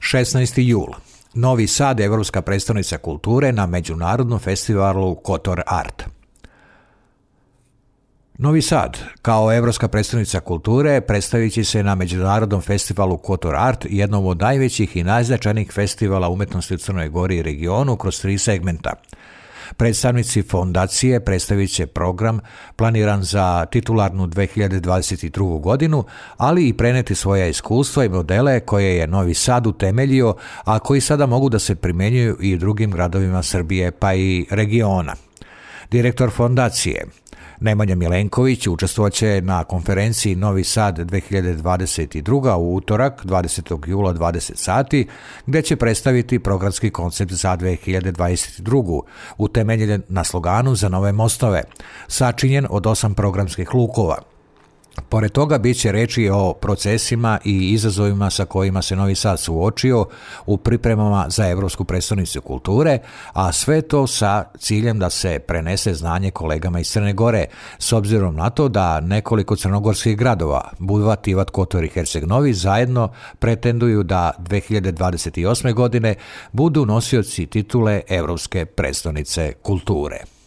16. jul. Novi Sad, Evropska prestonica kulture na međunarodnom festivalu Kotor Art. Novi Sad, kao Evropska prestonica kulture, predstavit će se na međunarodnom festivalu Kotor Art, jednom od najvećih i najznačajnijih festivala umetnosti u Crnoj Gori i regionu kroz 3 segmenta. Predstavnici fondacije predstavit će program planiran za titularnu 2022. godinu, ali i preneti svoja iskustva i modele koje je Novi Sad utemeljio, a koji sada mogu da se primenjuju i u drugim gradovima Srbije pa i regiona. Direktor fondacije Nemanja Milenković učestvovaće na konferenciji Novi Sad 2022. u utorak 20. jula 20 sati, gde će predstaviti programski koncept za 2022. utemeljen na sloganu Za nove mostove, sačinjen od 8 programskih lukova. Pored toga bit će reči o procesima i izazovima sa kojima se Novi Sad suočio u pripremama za Evropsku prestonicu kulture, a sve to sa ciljem da se prenese znanje kolegama iz Crne Gore, s obzirom na to da nekoliko crnogorskih gradova, Budva, Tivat, Kotor i Herceg Novi, zajedno pretenduju da 2028. godine budu nosioci titule Evropske prestonice kulture.